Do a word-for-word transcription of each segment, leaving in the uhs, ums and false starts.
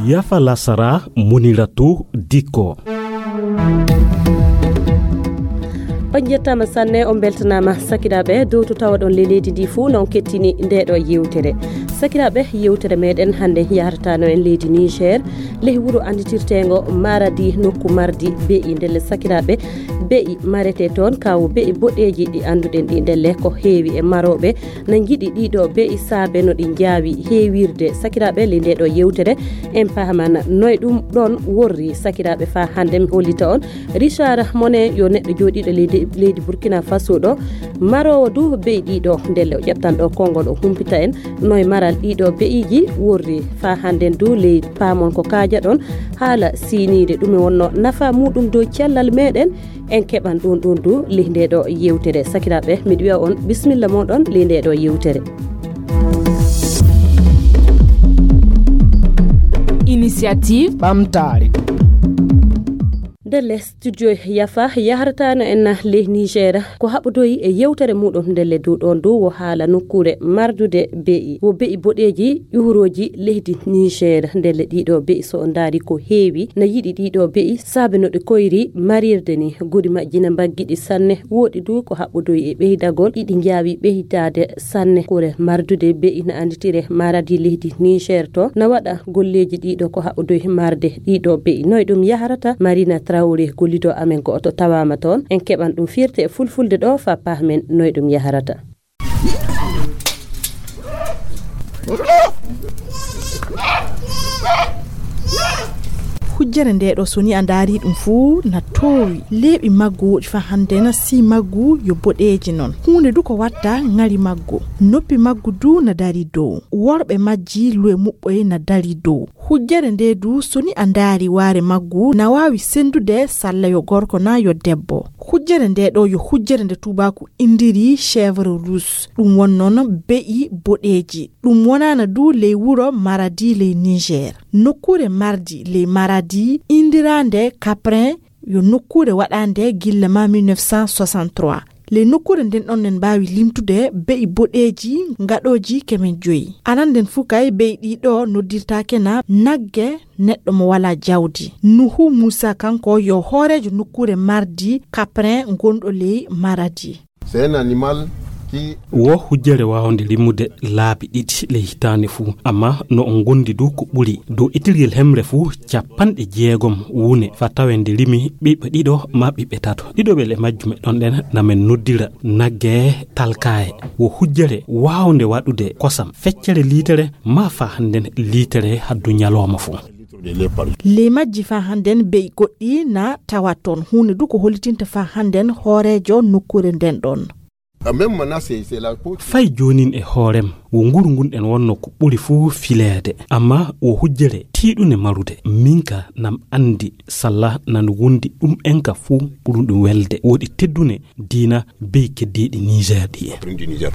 Yafa lasara, Muniratu Dikko. On njettaama sanne, on mbeltanaama sakiraaɓe dow to tawaɗon ley leydi ndi fuu, no on kettini nde ɗo yewtere. Sakiraaɓe, yewtere meɗen hannde yahrataano en leydi Niger, ley wuro annditirteengo Maradi, nokku mardi be'i. Ndelle sakiraaɓe, be'i marete toon, kawo be'i boɗeeji ɗi annduɗen ɗi, ndelle ko heewi e marooɓe na njiɗi ɗiɗo be'i saabe no ɗi njaawi heewirde. Sakiraaɓe, ley nde ɗo yewtere, en paamana noy ɗum ɗon worri. Sakiraaɓe, faa hannde mi hollita on Richard Mone, yo neɗɗo jooɗiiɗo leydi, leydi Burkina Faso ɗo, maroowo du be'i ɗiɗo. Ndelle o ƴettan ɗo konngol, o humpita en noy maral ɗiɗo be'iiji worri. Faa hannden du ley paamon ko kaajaɗon haala siiniide, ɗume wonno nafa muuɗum dow cellal meɗen. En keɓan ɗum ɗum du ley nde ɗo yewtere. Sakiraaɓe, miɗo wi'a on bisimilla mooɗon ley nde ɗo yewtere. Initiative ɓamtaare. Ndelle studio Yafa yahrataano en ley Niger, ko haɓodoyi e yewtere muuɗum ndelle du ɗon du wo haala nokkuure mardude be'i. Wo be'i boɗeeji ƴuhurooji leydi Niger. Ndelle ɗiɗo be'i, so on ndaari, ko heewi na yiɗi ɗiɗo be'i saabe no ɗi koyri marirde ni. Guri majji na mbaggiɗi sanne. Wooɗi du ko haɓodoyi e ɓeydagol, iɗi njaawi ɓeydaade sanne. Kure mardude be'i na annditire Maradi leydi Niger to na waɗa golleeji ɗiɗo ko haɓodoyi marde ɗiɗo be'i. Noy ɗum yahrata? Marina Traoré, gollido amen go'oto tawaama toon. En keɓan ɗum firti e fulfulde ɗo faa pahmen noy ɗum yahrata. Hujjere nde ɗo, so ni a ndaari ɗum fuu, na toowi. Leeɓi maggu woɗi faa hannde na sii maggu yo boɗeeji non. Huunde du ko watta ŋari maggu. Noppi maggu du na dari dow. Worɓe majji luwe muɓɓoy na dari dow. Hujjere nde du, so ni a ndaari waare maggu, na waawi senndude salla yo gorko na yo debbo. Hujjere nde ɗo yo hujjere nde tuubaaku indiri chèvre rousse. Ɗum won noon be'i boɗeeji. Ɗum wonaana du ley wuro Maradi ley Niger. Nokkuure mardi ley Maradi indiraande Caprin yo nokkuure waɗaande gilla ma mille neuf cent soixante-trois. Ley nokkuure nden ɗon, en mbaawi limtude be'i boɗeeji ngaɗooji keme joyi. Aran nden fuu kay, be'i ɗiɗo noddirtaake na nagge neɗɗo mo walaa jawdi. Nuhu Muusa, kanko yo hooreejo nokkuure mardi Caprin ngonɗo ley Maradi. C'est un animal qui Wo hujjere waawnde limude laabi ɗiɗi ley hitaande fuu, amma no o ngondi du ko ɓuri. Dow itirgel hemre fuu, capanɗe jeegom wune faa tawe nde rimi ɓiɓɓe ɗiɗo maa ɓiɓɓe tato. Ɗiɗo ɓe le majjum e ɗon ɗen na men noddira nagge talkaaye. Wo hujjere waawnde waɗude kosam feccere liitere maa faa hannden liitere haddu ñalooma fuu. Ley majji faa hannden be'i goɗɗi na tawa toon. Huunde du ko hollitinta faa hannden hooreejo nokkuure nden ɗon. Fay joonin e hoorem, wo nguru ngun ɗen wonno ko ɓuri fuu fileede, amma wo hujjere tiiɗunde marude. Min ka nam anndi salla nan wondi ɗum en ka fuu ɓurun ɗum welde. Woɗi teddune diina be'i keddiiɗi Niger ɗi en.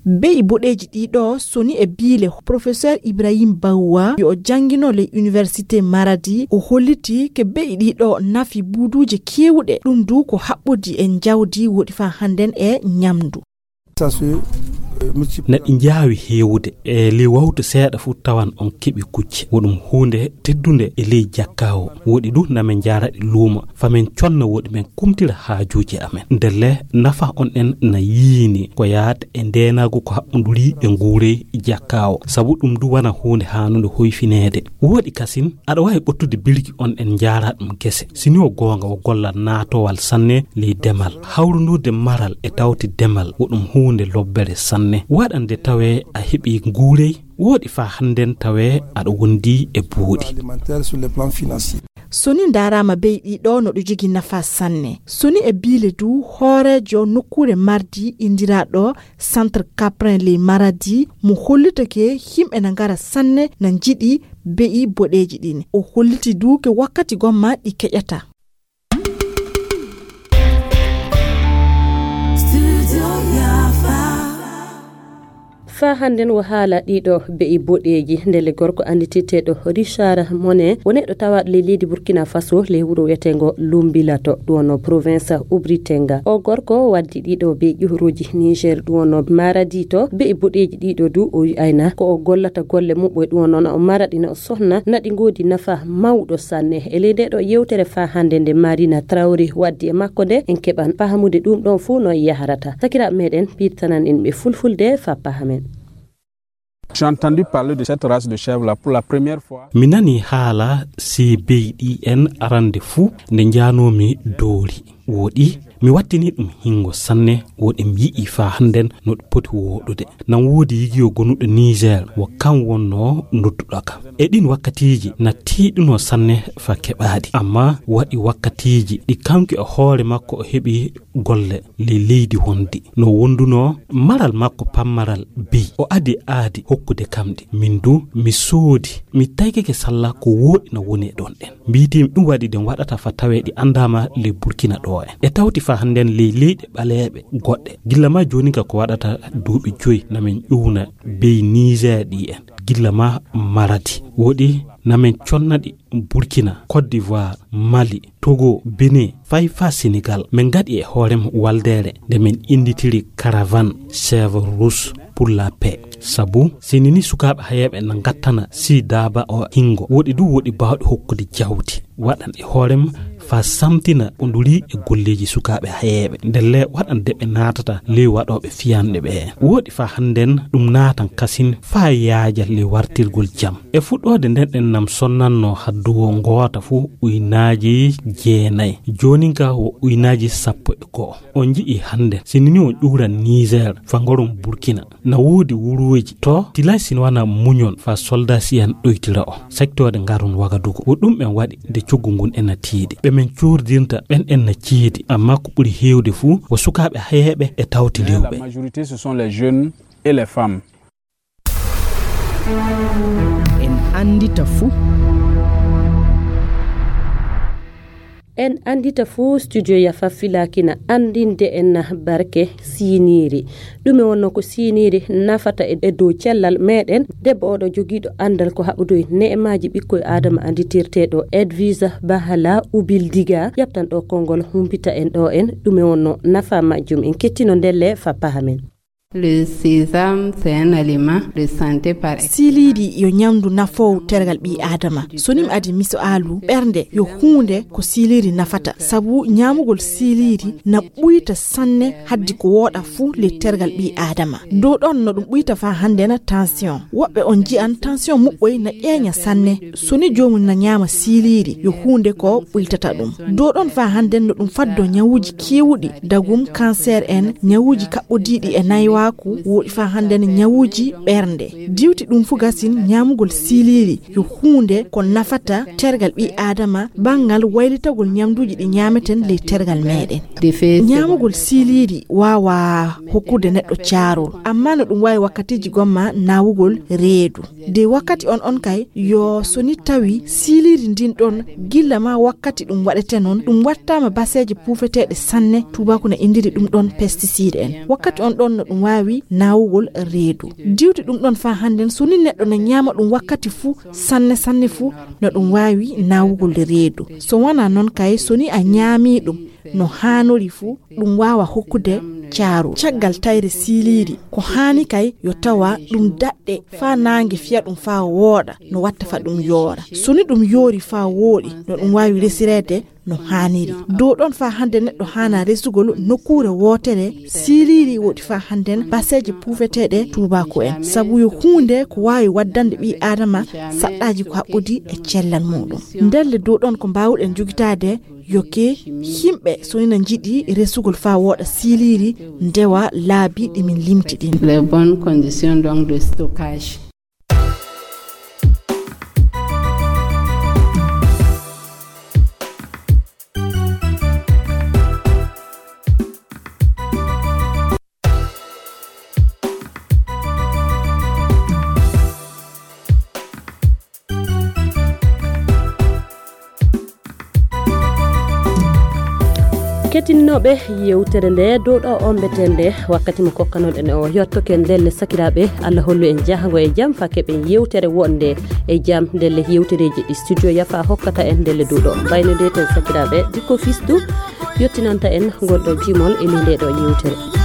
Be'i boɗeeji ɗiɗo, soni e biile Professeur Ibrahim Bawa, yo o janngino ley Université Maradi, o holliti ke be'i ɗiɗo nafi buuduuje keewuɗe, ɗum du ko haɓɓodi e njawdi woɗi faa hannden e ñamndu. Na ɗi njaawi heewude, e ley wawtu seeɗa fuu tawan on keɓi kucce. Wo ɗum huunde teddunde e ley jakka o. Woɗi du na men njaara ɗi luumo, fa men conna woɗi men kumtira haajuuji amen. Ndelle nafa on ɗen na yiini ko yaata e ndeenaagu ko haɓɓunduri e nguurey jakka o. Sabu ɗum du wana huunde haanunde hoyfineede. Woɗi kasin, aɗa waawi ɓottude birki on ɗen njaara ɗum gese. Sini wo goonga wo gollal naatowal sanne ley demal. Hawrundurde maral e tawti demal wo ɗum huunde lobbere sanne. Waɗande tawee a heɓi nguurey, woɗi faa hannden tawee aɗa wondi e buuɗi. Soni ndaaraama be'i ɗiɗo no ɗo jogi nafa sanne. Soni e biile du hooreejo nokkuure Mardi indiraaɗo Centre Caprin ley Maradi mo hollitake yimɓe na ngara sanne na njiɗi be'i boɗeeji ɗin. O holliti du ke wakkati gomma ɗi keƴata. Faa hannden wo haala ɗiɗo be'i boɗeeji. Ndelle gorko annditirteeɗo Richard Monet wo neɗɗo tawaaɗo ley leydi Burkina Faso, ley wuro wiyeteengo Lumbilato, ɗum wonno province Ubritenga. O gorko waddi ɗiɗo be'i ƴuuruuji Niger, ɗum wonno Maradi to. Be'i boɗeeji ɗiɗo du o wi'ayna ko o gollata golle muɓɓoy, ɗum wonno na o mara ɗi, na o sohna, na ɗi ngoodi nafa mawɗo sanne. E ley nde ɗo yewtere faa hannde nde Marina Traoré waddi e makko nde, en keɓan fahamude ɗum ɗon fuu no yahrata. Sakiraaɓe meɗen, piirtanan en ɓe fulfulde faa pahamen. J'ai entendu parler de cette race de chèvre là pour la première fois. Mi nani haala C B I N arande fuu nde njaanoomi Doori. Woɗi, mi wattini ɗum hingo sanne, woɗi mi yi'i faa hannden no ɗum poti wooɗude. Nan woodi yigiyo gonuɗo Niger, wo kan wonno nodduɗo kam. E ɗin wakkatiiji, na tiiɗuno sanne faa keɓaaɗi. Amma waɗi wakkatiiji ɗi kanko e hoore makko o heɓi golle ley leydi wondi. No wondunoo maral makko pammaral be'i. O adi aadi hokkude kam ɗi. Min du, mi soodi, mi taykake salla ko wooɗi no woni e ɗon ɗen. Mbiitiimi ɗum waɗi ɗen waɗata faa tawee ɗi anndaama ley Burkina ɗo en. E tawti faa hannden ley leyɗe ɓaleeɓe goɗɗe. Gilla maa jooni ka ko waɗata duuɓi joyi na min ƴuwna be'i Niger ɗi en. Gilla maa Maradi. Woɗi na min conna ɗi Burkina, Côte d'Ivoire, Mali, Togo, Benin, fay faa Senegal. Min ngaɗi e hoore mum waldeere nde min innditiri Caravane Chèvre Rousse pour la Paix. Sabu, sini ni sukaaɓe hayeeɓe na ngattana si daaba o hingo. Woɗi du woɗi baawɗi hokkude jawdi. Waɗan e hoore mum faa samtina o nduri e golleeji sukaaɓe hayeeɓe. Ndelle waɗan de ɓe naatata ley waɗooɓe fiyanɗe ɓe. Woɗi faa hannden ɗum naatan kasin faa yaaja ley wartirgol jam. E fuɗɗoode nden ɗen nam sonnanno hadduwo ngoota fuu uynaaji jeenay. Joonin ka wo uynaaji sappo e go'o. On nji'i hannde, si ni on ƴuuran Niger, faa ngoron Burkina. Na woodi wuruuji to, tilay si wanaa muñon faa soldaasiyan ɗoytira o. Saktooɗe ngaron Wagadugu. Wo ɗum en waɗi nde coggu ngun en na tiiɗi. Ɓe men coordirta ɓen en na ceedi, amma ko ɓuri heewde fuu, wo sukaaɓe hayeeɓe e tawti rewɓe. La majorité, ce sont les jeunes et les femmes. En anndita fuu. En anndita fuu, studio Yafa Filakina anndinde en barke siiniiri. Ɗume wonno ko siiniiri nafata e, e dow cellal meɗen? Debbo oɗo jogiiɗo anndal ko haɓudoy ne'emaaji ɓikkoy Aadama annditirteeɗo Edvisa Bahala Ubildiga, ƴaptan ɗo konngol humpita en ɗo en. Ɗume wonno nafa majjum? En kettino ndelle faa pahamen. Le sésame, c'est un aliment de santé par excellence. Siiliiri yo ñamndu nafoowu tergal ɓii Aadama. So ni mi adi miso aalu, ɓernde yo huunde ko siiliiri nafata. Sabu ñaamugol siiliiri na ɓuyta sanne haddi ko wooɗa fuu ley tergal ɓii Aadama. Dow ɗon no ɗum ɓuyta faa hannden tension. Woɓɓe on nji'an tension muɓɓoy na ƴeeña sanne. So ni joomum na ñaama siiliiri, yo huunde ko ɓuytata ɗum. Dow ɗon faa hannden no ɗum faddo ñawuuji keewuɗi, dagum, cancer en, ñawuuji kaɓɓodiiɗi e naywaaku, woɗi faa hannden ñawuuji ɓernde. Diwti ɗum fuu gasin ñaamugol siiliiri, yo huunde ko nafata tergal ɓii Aadama, banngal waylitagol ñamduuji ɗi ñaameten ley tergal meɗen. Ñaamugol siiliiri waawaa hokkude neɗɗo caarol, amma no ɗum waawi wakkatiiji gomma nawugol reedu. De wakkati on on kay, yo so ni tawi siiliiri ndin ɗon gilla maa wakkati ɗum waɗete non, ɗum wattaama baseeje puufeteeɗe sanne, tuubaaku na inndiri ɗum ɗon pesticide en. Wakkati on ɗon no ɗum waawi nawugol reedu. Diwti ɗum ɗon faa hannden, so ni neɗɗo na ñaama ɗum wakkati fuu, sanne sanne fuu, no ɗum waawi nawugol reedu. So wanaa non kay, so ni a ñaamii ɗum no haanori fuu, ɗum waawa hokkude caarol. Caggal tayre siiliiri, ko haani kay yo tawa ɗum daɗɗe faa naange fiya ɗum faa wooɗa, no watta faa ɗum yoora. So ni ɗum yoori faa wooɗi, no ɗum waawi resireede no haaniri. Dow ɗon faa hannde neɗɗo haana resugol nokkuure wootere siiliiri woɗi faa hannden baseeje puufeteeɗe tuubaaku en. Sabu yo huunde ko waawi waddande ɓii Aadama saɗɗaaji ko haɓɓodi e cellal muuɗum. Ndelle dow ɗon ko mbaawuɗen jogitaade yo ke yimɓe so ina njiɗi resugol faa wooɗa siiliiri ndewa laabi ɗi min limti ɗin. Les bonnes conditions donc de stockage. Kettinnooɓe yewtere nde dow ɗo ombeten nde, wakkati mo kokkanoɗen o yottoken ndelle sakiraaɓe. Allah hollu en jahango e jam fa keɓen yewtere wonde e jam. Ndelle yewtereeji ɗi studio yafa hokkata en ndelle dow ɗo mbayno nde ten sakiraaɓe dikko fistu yottinanta en ngol ɗo jimol e nde ɗo yewtere.